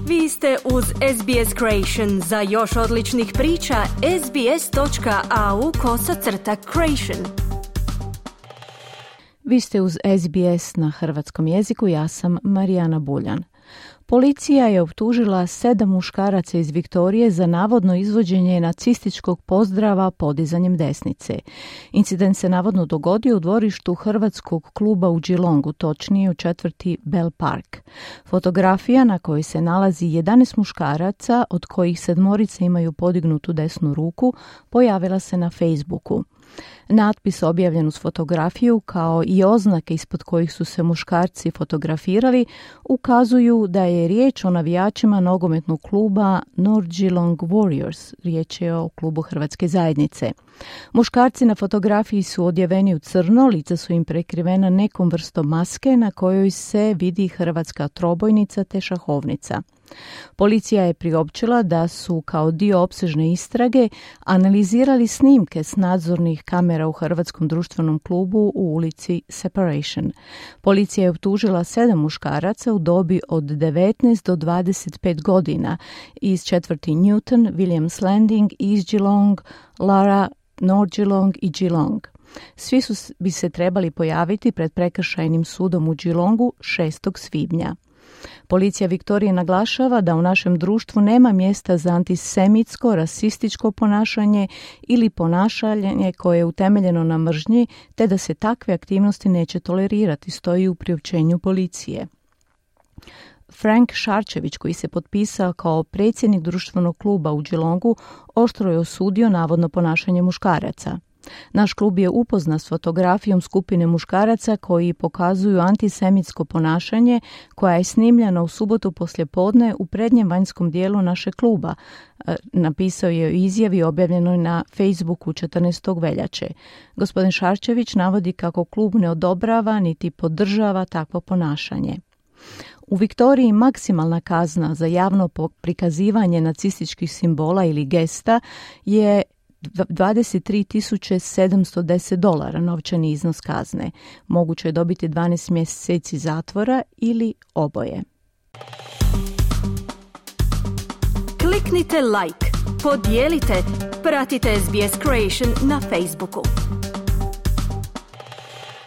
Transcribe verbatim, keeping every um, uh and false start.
Vi ste uz S B S Creation. Za još odličnih priča, sbs.au kosacrta creation. Vi ste uz S B S na hrvatskom jeziku, ja sam Marijana Buljan. Policija je optužila sedam muškaraca iz Viktorije za navodno izvođenje nacističkog pozdrava podizanjem desnice. Incident se navodno dogodio u dvorištu hrvatskog kluba u Geelongu, točnije u četvrti Bell Park. Fotografija na kojoj se nalazi jedanaest muškaraca, od kojih sedmorice imaju podignutu desnu ruku, pojavila se na Facebooku. Natpis objavljen uz fotografiju, kao i oznake ispod kojih su se muškarci fotografirali, ukazuju da je riječ o navijačima nogometnog kluba North Geelong Warriors. Riječ je o klubu Hrvatske zajednice. Muškarci na fotografiji su odjeveni u crno, lica su im prekrivena nekom vrstom maske na kojoj se vidi hrvatska trobojnica te šahovnica. Policija je priopćila da su kao dio opsežne istrage analizirali snimke s nadzornih kamera u Hrvatskom društvenom klubu u ulici Separation. Policija je optužila sedam muškaraca u dobi od devetnaest do dvadeset pet godina iz četvrti Newton, Williams Landing, East Geelong, Lara, North Geelong i Geelong. Svi su bi se trebali pojaviti pred prekršajnim sudom u Geelongu šestog svibnja. Policija Viktorije naglašava da u našem društvu nema mjesta za antisemitsko, rasističko ponašanje ili ponašanje koje je utemeljeno na mržnji, te da se takve aktivnosti neće tolerirati, stoji u priopćenju policije. Frank Šarčević, koji se potpisao kao predsjednik društvenog kluba u Geelongu, oštro je osudio navodno ponašanje muškaraca. Naš klub je upoznat s fotografijom skupine muškaraca koji pokazuju antisemitsko ponašanje koja je snimljena u subotu poslijepodne u prednjem vanjskom dijelu našeg kluba, napisao je u izjavi objavljenoj na Facebooku četrnaestog veljače. Gospodin Šarčević navodi kako klub ne odobrava niti podržava takvo ponašanje. U Viktoriji maksimalna kazna za javno prikazivanje nacističkih simbola ili gesta je dvadeset tri tisuće sedamsto deset dolara, novčani iznos kazne. Moguće je dobiti dvanaest mjeseci zatvora ili oboje. Kliknite like, podijelite, pratite S B S Creation na Facebooku.